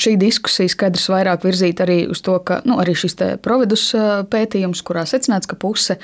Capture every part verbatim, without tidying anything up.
šī diskusija skaidrs vairāk virzīt arī uz to, ka nu, arī šis Providus pētījums, kurā secināts, ka puse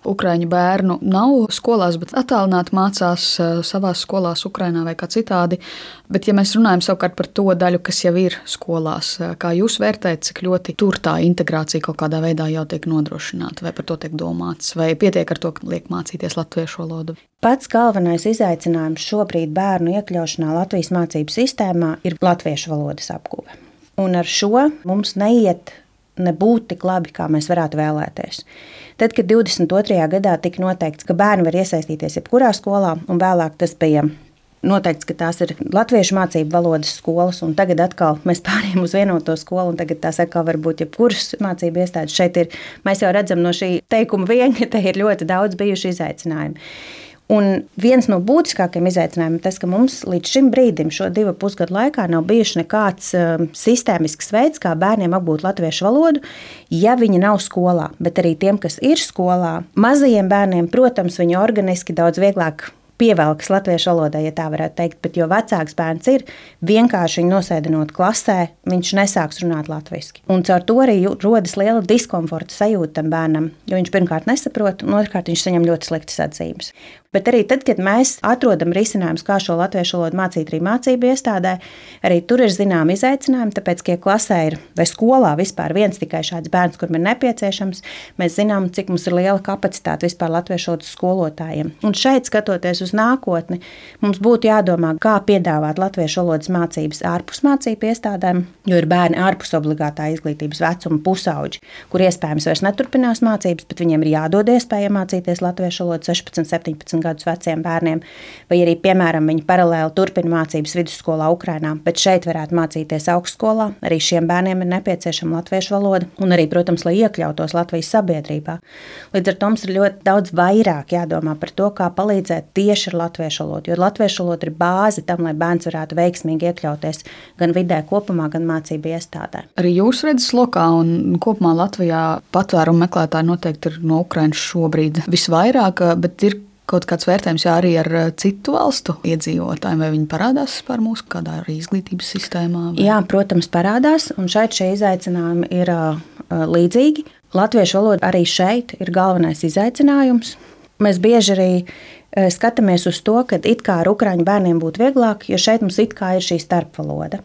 ukraiņu bērnu nav skolās, bet attālināti mācās savās skolās Ukrainā vai kā citādi. Bet, ja mēs runājam savukārt par to daļu, kas jau ir skolās, kā jūs vērtējat, cik ļoti tur tā integrācija kaut kādā veidā jau tiek nodrošināta, vai par to tiek domāts, vai pietiek ar to, ka liek mācīties latviešu valodu? Pats galvenais izaicinājums šobrīd bērnu iekļaušanā Latvijas mācību sistēmā ir latviešu valodas apguve. Un ar šo mums neiet nebūt tik labi, kā mēs varētu vēlēties. Tad, kad divdesmit otrajā gadā tika noteikts, ka bērni var iesaistīties jebkurā skolā, un vēlāk tas bija noteikts, ka tās ir latviešu mācību valodas skolas, un tagad atkal mēs pārējām uz vienoto skolu, un tagad tās atkal var būt jebkuras mācību iestādes. Šeit ir, mēs jau redzam no šī teikuma vien, ka te ir ļoti daudz bijuši izaicinājumi. Un viens no būtiskākajiem izaicinājumiem ir tas, ka mums līdz šim brīdim, šo divu pusgadu laikā, nav bijuši nekāds um, sistēmisks veids, kā bērniem apgūt latviešu valodu, ja viņi nav skolā. Bet arī tiem, kas ir skolā, mazajiem bērniem, protams, viņi organiski daudz vieglāk pievelkas latviešu valodai, ja tā varētu teikt, bet jo vecāks bērns ir, vienkārši viņu nosēdinot klasē, viņš nesāks runāt latviski. Un caur to arī rodas liela diskomforta sajūta tam bērnam, jo viņš pirmkārt nesaprot, un otrkārt viņš saņem ļoti sliktas atzīmes. Bet arī tad, kad mēs atrodam risinājumus, kā šo latviešu valodu mācīt arī mācību iestādē, arī tur ir zināmi izaicinājumi, tāpēc, ka ja klasē ir vai skolā vispār viens tikai šāds bērns, kuram ir nepieciešams, mēs zinām, cik mums ir liela kapacitāte vispār latviešu valodas skolotājiem. Un šeit, skatoties uz nākotni, mums būtu jādomā, kā piedāvāt latviešu valodas mācības ārpus mācību iestādēm, jo ir bērni ārpus obligātā izglītības vecuma pusauģi, kur iespējams vairs neturpinās mācības, bet viņiem ir jādod iespēja mācīties latviešu valodu sešpadsmit, septiņpadsmit gadus veciem bērniem, vai arī, piemēram, viņi paralēli turpina mācības vidusskolā Ukrainā, bet šeit varētu mācīties augstskolā. Arī šiem bērniem ir nepieciešama latviešu valoda un arī, protams, lai iekļautos Latvijas sabiedrībā. Līdz ar to mums ir ļoti daudz vairāk jādomā par to, kā palīdzēt tieši ar latviešu valodu, jo latviešu valoda ir bāze tam, lai bērns varētu veiksmīgi iekļauties gan vidē kopumā, gan mācību iestādē. Arī jūs redzat lokā un kopumā Latvijā patvērumu meklētāji noteikti ir no Ukrainas šobrīd visvairāk, bet ir kaut kāds vērtējums jā, arī ar citu valstu iedzīvotājiem, vai viņi parādās par mūsu kādā arī izglītības sistēmā? Vai? Jā, protams, parādās, un šeit šie izaicinājumi ir uh, līdzīgi. Latviešu valoda arī šeit ir galvenais izaicinājums. Mēs bieži arī uh, skatāmies uz to, ka it kā ar ukraiņu bērniem būtu vieglāk, jo šeit mums it kā ir šī starpvaloda.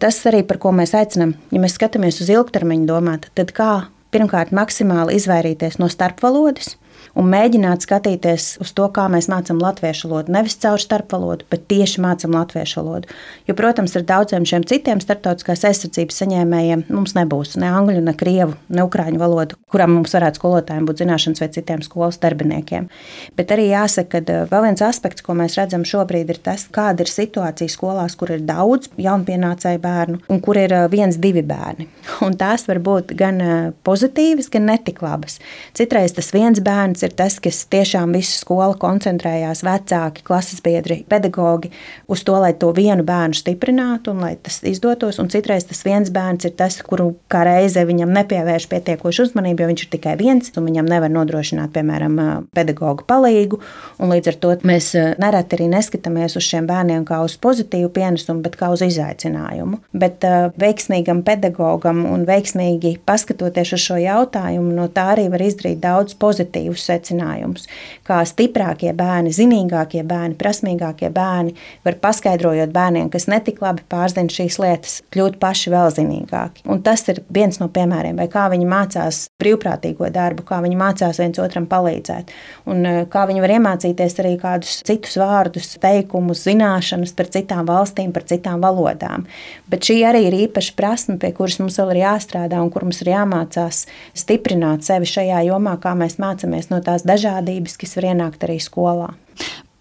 Tas arī, par ko mēs aicinām, ja mēs skatāmies uz ilgtermiņu domāt, tad kā pirmkārt maksimāli izvairīties no starpvalodas, un mēģināt skatīties uz to, kā mēs mācām latviešu valodu. Nevis caur starpvalodu, bet tieši mācām latviešu valodu. Jo, protams, ar daudziem šiem citiem starptautiskās aizsardzības saņēmējiem mums nebūs ne angļu, ne krievu, ne ukraiņu valodu, kurām mums varētu skolotājiem būt zināšanas vai citiem skolas darbiniekiem. Bet arī jāsaka, ka vēl viens aspekts, ko mēs redzam šobrīd, ir tas, kāda ir situācija skolās, kur ir daudz jaunpienācēju bērnu un kur ir viens, divi bērni. Un tās var būt gan pozitīvas, gan netik labas. Citreiz tas viens bērns ir tas, kas tiešām visu skolu koncentrējās, vecāki, klases biedri, pedagogi, uz to, lai to vienu bērnu stiprinātu un lai tas izdotos. Un citreiz tas viens bērns ir tas, kuru kā reize viņam nepievērš pietiekošu uzmanību, jo viņš ir tikai viens un viņam nevar nodrošināt, piemēram, pedagogu palīgu. Un līdz ar to mēs nereti arī neskatāmies uz šiem bērniem kā uz pozitīvu pienesumu, bet kā uz izaicinājumu. Bet uh, veiksmīgam pedagogam un veiksmīgi paskatoties uz šo jautājumu, no tā arī var izdarīt daudz pozitīvus secinājumus, kā stiprākie bērni, zinīgākie bērni, prasmīgākie bērni var paskaidrojot bērniem, kas netik labi pārzina šīs lietas, kļūt paši vēl zinīgāki. Un tas ir viens no piemēriem, vai kā viņi mācās brīvprātīgo darbu, kā viņi mācās viens otram palīdzēt, un kā viņi var iemācīties arī kādus citus vārdus, teikumus, zināšanas par citām valstīm, par citām valodām. Bet šī arī ir īpaša prasme, pie kuras mums vēl ir jāstrādā un kur mums ir jāmācās stiprināt sevi šajā jomā, kā mēs mācāmies no tās dažādības, kas var ienākt arī skolā.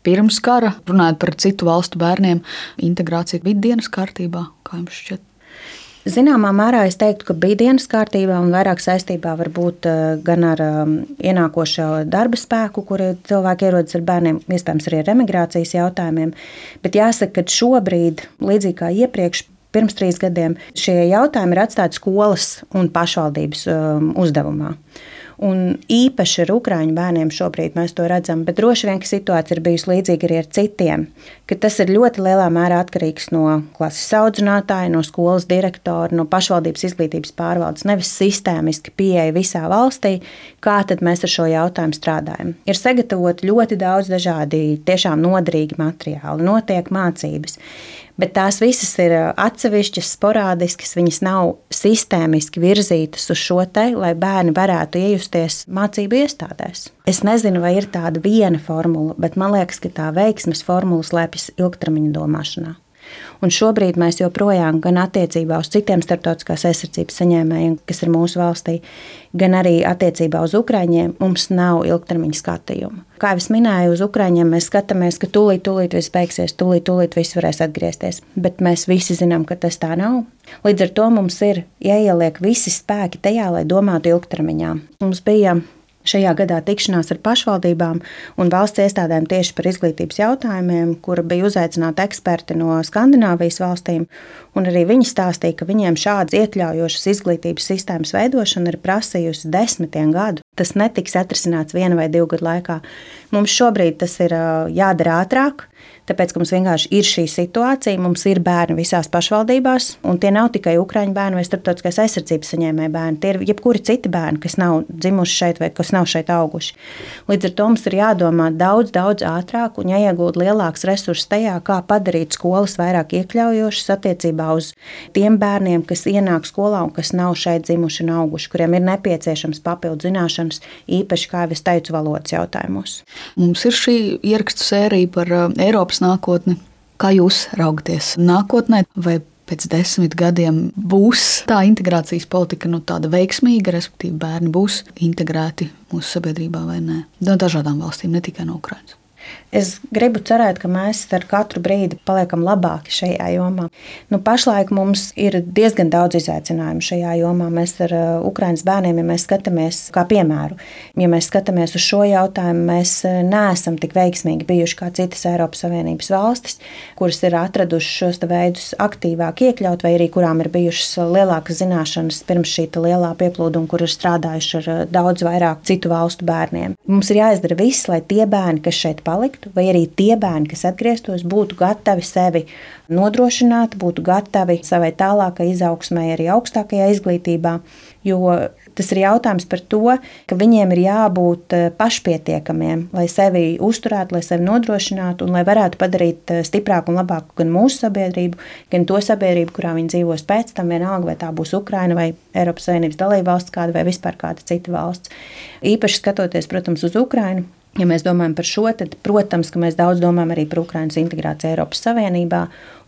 Pirms kara, runājot par citu valstu bērniem, integrācija bija dienas kārtībā, kā jums šķiet? Zināmā mērā es teiktu, ka bija dienas kārtībā un vairāk saistībā varbūt gan ar ienākošo darba spēku, kur cilvēki ierodas ar bērniem, iespējams arī ar emigrācijas jautājumiem. Bet jāsaka, ka šobrīd, līdzīgi kā iepriekš, pirms trīs gadiem, šie jautājumi ir atstāti skolas un pašvaldības uzdevumā. Un īpaši ar ukraiņu bērniem šobrīd mēs to redzam, bet droši vien, ka situācija ir bijusi līdzīga arī ar citiem, ka tas ir ļoti lielā mērā atkarīgs no klases audzinātāja, no skolas direktora, no pašvaldības izglītības pārvaldes, nevis sistēmiski pieeja visā valstī, kā tad mēs ar šo jautājumu strādājam. Ir sagatavot ļoti daudz dažādi tiešām noderīgi materiāli, notiek mācības, bet tās visas ir atsevišķas, sporādiskas, viņas nav sistēmiski virzītas uz šo te, lai bērni varētu iejusties mācību iestādēs. Es nezinu, vai ir tāda viena formula, bet man liekas, ka tā veiksmes formula slēpjas ilgtermiņa domāšanā. Un šobrīd mēs joprojām gan attiecībā uz citiem starptautiskās aizsardzības saņēmējiem, kas ir mūsu valstī, gan arī attiecībā uz ukraiņiem, mums nav ilgtermiņa skatījuma. Kā jau es minēju, uz ukraiņiem mēs skatāmies, ka tūlīt, tūlīt viss beigsies, tūlīt, tūlīt viss varēs atgriezties, bet mēs visi zinām, ka tas tā nav. Līdz ar to mums ir jāieliek visi spēki tajā, lai domātu ilgtermiņā. Mums bija šajā gadā tikšanās ar pašvaldībām un valsts iestādēm tieši par izglītības jautājumiem, kura bija uzaicināti eksperti no Skandināvijas valstīm, un arī viņi stāstīja, ka viņiem šādas iekļaujošas izglītības sistēmas veidošana ir prasījusi desmitiem gadu. Tas netiks atrisināts viena vai divu gadu laikā. Mums šobrīd tas ir jādara ātrāk, tāpēc, ka mums vienkārši ir šī situācija, mums ir bērni visās pašvaldībās, un tie nav tikai ukraiņu bērni vai starptautiskās aizsardzības saņēmēji bērni, tie ir jebkuri citi bērni, kas nav dzimuši šeit vai kas nav šeit auguši. Līdz ar to mums ir jādomā daudz, daudz ātrāk un jāiegūt lielāks resurss tajā, kā padarīt skolas vairāk iekļaujošas attiecībā uz tiem bērniem, kas ienāk skolā un kas nav šeit dzimuši un auguši, kuriem ir nepieciešams papildu zināšanas, īpaši, kā jau es teicu, valodas jautājumos. Mums ir šī ierakstu sērija par Eiropas nākotni. Kā jūs raugaties nākotnē, vai pēc desmit gadiem būs tā integrācijas politika nu, tāda veiksmīga, respektīvi bērni būs integrēti mūsu sabiedrībā vai nē? No dažādām valstīm, ne tikai no Ukrainas. Es gribu cerēt, ka mēs ar katru brīdi paliekam labāki šajā jomā. Nu, pašlaik mums ir diezgan daudz izaicinājumu šajā jomā. Mēs ar Ukrainas bērniem, ja mēs skatāmies kā piemēru, ja mēs skatāmies uz šo jautājumu, mēs neesam tik veiksmīgi bijuši kā citas Eiropas Savienības valstis, kuras ir atradušas šos veidus aktīvāk iekļaut, vai arī kurām ir bijušas lielākas zināšanas pirms šī lielā pieplūduma, kur ir strādājuši ar daudz vairāk citu valstu bērniem. Mums ir jāizdara viss, lai tie bērni, kas šeit paliktu, vai arī tie bērni, kas atgrieztos, būtu gatavi sevi nodrošināt, būtu gatavi savai tālākai izaugsmai arī augstākajā izglītībā, jo tas ir jautājums par to, ka viņiem ir jābūt pašpietiekamiem, lai sevi uzturētu, lai sevi nodrošinātu un lai varētu padarīt stiprāku un labāku gan mūsu sabiedrību, gan to sabiedrību, kurā viņi dzīvos pēc tam, vienalga, vai tā būs Ukraina vai Eiropas Savienības dalībvalsts kāda vai vispār kāda cita valsts. Īpaši skatoties, protams, uz Ukrainu. Ja mēs domājam par šo, tad, protams, ka mēs daudz domājam arī par Ukrainas integrāciju Eiropas Savienībā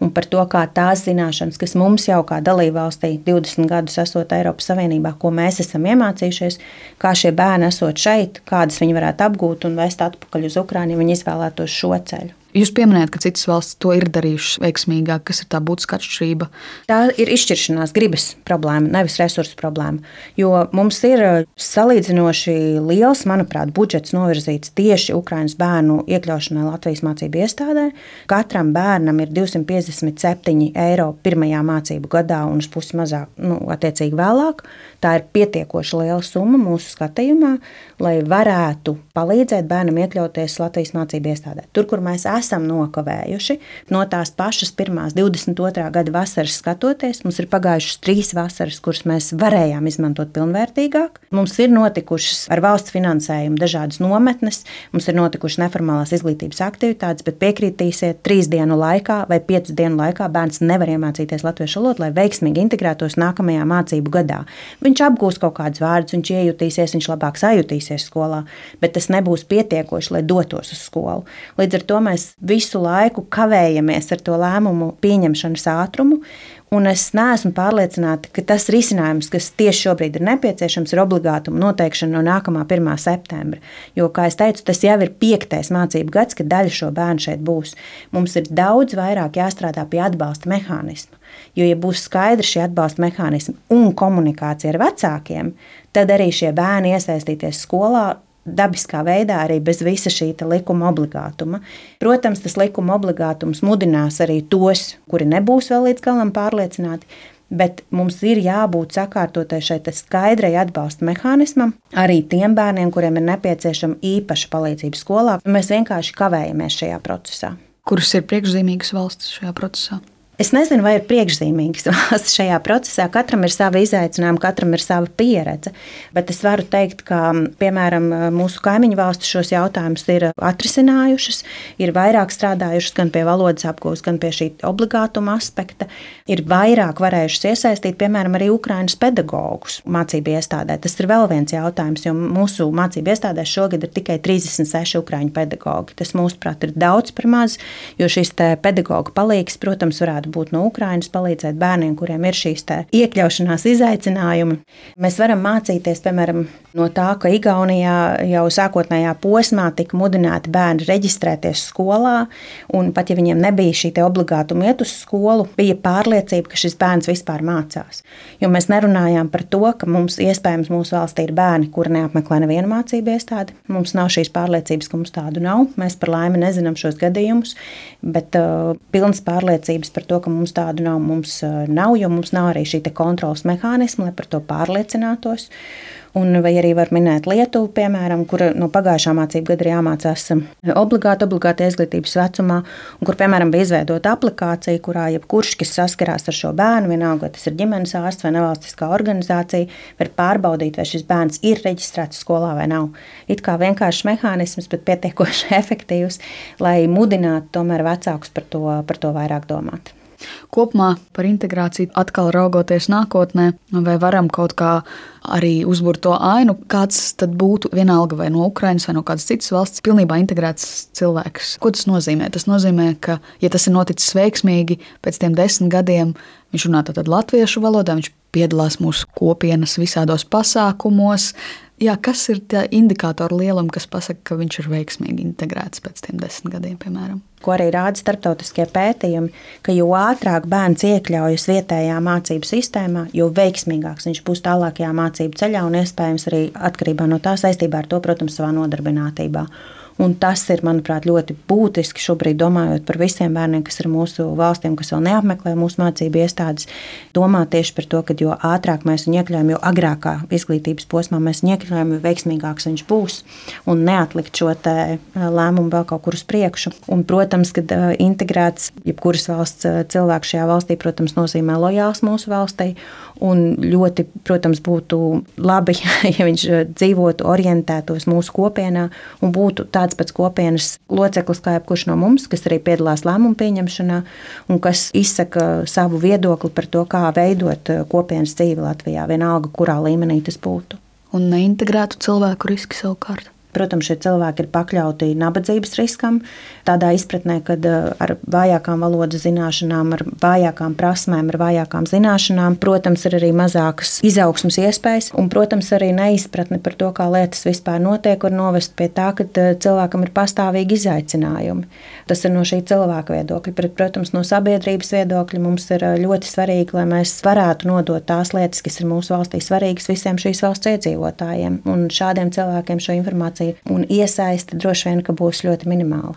un par to, kā tās zināšanas, kas mums jau kā dalībvalstī divdesmit gadus esot Eiropas Savienībā, ko mēs esam iemācījušies, kā šie bērni esot šeit, kādas viņi varētu apgūt un vest atpakaļ uz Ukrainu, ja viņi izvēlētos šo ceļu. Jūs pieminējat, ka citas valstis to ir darījušas veiksmīgāk. Kas ir tā būtiska atšķirība? Tā ir izšķiršanās gribas problēma, nevis resursu problēma. Jo mums ir salīdzinoši liels, manuprāt, budžets novirzīts tieši Ukrainas bērnu iekļaušanai Latvijas mācību iestādē. Katram bērnam ir divsimt piecdesmit septiņi eiro pirmajā mācību gadā un uz pusi mazāk, nu, attiecīgi vēlāk. Tā ir pietiekoši liela summa mūsu skatījumā, lai varētu palīdzēt bērnam iekļauties Latvijas mācību iestādē. Tur, kur mēs esam nokavējuši, no tās pašas pirmās divdesmit otrā gada vasaras skatoties, mums ir pagājušas trīs vasaras, kuras mēs varējām izmantot pilnvērtīgāk. Mums ir notikušas ar valsts finansējumu dažādas nometnes, mums ir notikušas neformālās izglītības aktivitātes, bet piekritīsiet, trīs dienu laikā vai piecu dienu laikā bērns nevar iemācīties latviešu valodu, lai veiksmīgi integrētos nākamajā mācību gadā. Viņš apgūs kaut kādus vārdus, viņš iejutīsies, viņš labāk sajutīsies skolā, bet tas nebūs pietiekoši, lai dotos uz skolu. Līdz ar to mēs visu laiku kavējamies ar to lēmumu pieņemšanas ātrumu, un es neesmu pārliecināta, ka tas risinājums, kas tieši šobrīd ir nepieciešams, ir obligātuma noteikšana no nākamā pirmā septembra. Jo, kā es teicu, tas jau ir piektais mācību gads, kad daļa šo bērnu šeit būs. Mums ir daudz vairāk jāstrādā pie atbalsta mehānisma. Jo, ja būs skaidri šie atbalsta mehānismi un komunikācija ar vecākiem, tad arī šie bērni iesaistīties skolā dabiskā veidā arī bez visa šī likuma obligātuma. Protams, tas likuma obligātums mudinās arī tos, kuri nebūs vēl līdz galam pārliecināti, bet mums ir jābūt sakārtotai šai skaidrai atbalsta mehānismam arī tiem bērniem, kuriem ir nepieciešama īpaša palīdzība skolā. Mēs vienkārši kavējamies šajā procesā. Kuras ir priekšzīmīgas valstis šajā procesā? Es nezinu, vai ir priekšzīmīgas valsts šajā procesā. Katram ir sava izaicinājuma, katram ir sava pieredze. Bet es varu teikt, ka, piemēram, mūsu kaimiņu valstis šos jautājumus ir atrisinājušas, ir vairāk strādājušas gan pie valodas apgūves, gan pie šī obligātuma aspekta. Ir vairāk varējušas iesaistīt, piemēram, arī Ukrainas pedagogus mācību iestādē. Tas ir vēl viens jautājums, jo mūsu mācību iestādēs šogad ir tikai trīsdesmit seši ukraiņu pedagogi. Tas, mūsuprāt, ir daudz par maz, jo šis pedagoga palīgs, protams, varētu būt no Ukrainas, palīdzēt bērniem, kuriem ir šīs iekļaušanās izaicinājumi. Mēs varam mācīties, piemēram, no tā, ka Igaunijā jau sākotnējā posmā tika mudināti bērni reģistrēties skolā, un pat ja viņiem nebija šī obligātuma iet uz skolu, bija pārliecība, ka šis bērns vispār mācās. Jo mēs nerunājām par to, ka mums iespējams mūsu valstī ir bērni, kuri neapmeklē nevienu mācību iestādi. Mums nav šīs pārliecības, ka mums tādu nav. Mēs par laimi nezinām šos gadījumus, bet uh, pilnas pārliecības par to, ka mums tādu nav, mums nav, jo mums nav arī šī kontrolas mehānisma, lai par to pārliecinātos. Un vai arī var minēt Lietuvu, piemēram, kur no pagājušā mācību gada ir jāmācās obligāti, obligāti izglītības vecumā, un kur, piemēram, bija izveidota aplikācija, kurā jebkurš, kas saskarās ar šo bērnu, vienalga, vai tas ir ģimenes ārsts vai nevalstiskā organizācija, var pārbaudīt, vai šis bērns ir reģistrēts skolā vai nav. It kā vienkāršs mehānisms, bet pietiekoši efektīvs, lai mudinātu tomēr vecākus par to, par to vairāk domāt. Kopumā par integrāciju atkal raugoties nākotnē, vai varam kaut kā arī uzburt to ainu, kāds tad būtu vienalga vai no Ukrainas vai no kādas citas valsts pilnībā integrēts cilvēks. Ko tas nozīmē? Tas nozīmē, ka, ja tas ir noticis veiksmīgi, pēc tiem desmit gadiem viņš runā tātad latviešu valodā, viņš piedalās mūsu kopienas visādos pasākumos. Jā, kas ir tie indikātori lielumi, kas pasaka, ka viņš ir veiksmīgi integrēts pēc tiem desmit gadiem, piemēram? Ko arī rāda starptautiskie pētījumi, ka jo ātrāk bērns iekļaujas vietējā mācību sistēmā, jo veiksmīgāks viņš būs tālākajā mācību ceļā un iespējams arī atkarībā no tā saistībā ar to, protams, savā nodarbinātībā. Un tas ir, manuprāt, ļoti būtiski šobrīd domājot par visiem bērniem, kas ir mūsu valstīm, kas vēl neapmeklē mūsu mācību iestādes, domāt tieši par to, ka jo ātrāk mēs viņu iekļaujam, jo agrākā izglītības posmā mēs viņu iekļaujam, jo veiksmīgāks viņš būs un neatlikt šo te lēmumu vēl kaut kur uz priekšu. Un, protams, kad integrēts jebkuras valsts cilvēks šajā valstī, protams, nozīmē lojāls mūsu valstī un ļoti, protams, būtu labi, ja viņš dzīvotu, orientētos mūsu kopienā un būtu tāds pēc kopienas loceklis kā jebkurš no mums, kas arī piedalās lēmumu pieņemšanā un kas izsaka savu viedokli par to, kā veidot kopienas dzīvi Latvijā, vienalga, kurā līmenī tas būtu. Un neintegrētu cilvēku riski savukārt? Protams, šie cilvēki ir pakļauti nabadzības riskam, tādā izpratnē, kad ar vājākām valodas zināšanām, ar vājākām prasmēm, ar vājākām zināšanām, protams, ir arī mazākas izaugsmas iespējas, un, protams, arī neizpratne par to, kā lietas vispār notiek, var novest pie tā, ka cilvēkam ir pastāvīgi izaicinājumi. Tas ir no šī cilvēka viedokļa, bet, protams, no sabiedrības viedokļa mums ir ļoti svarīgi, lai mēs varētu nodot tās lietas, kas ir mūsu valstī svarīgas visiem šīs valsts iedzīvotājiem, un šādiem cilvēkiem šo informāciju un iesaiste droši vien, ka būs ļoti minimāla.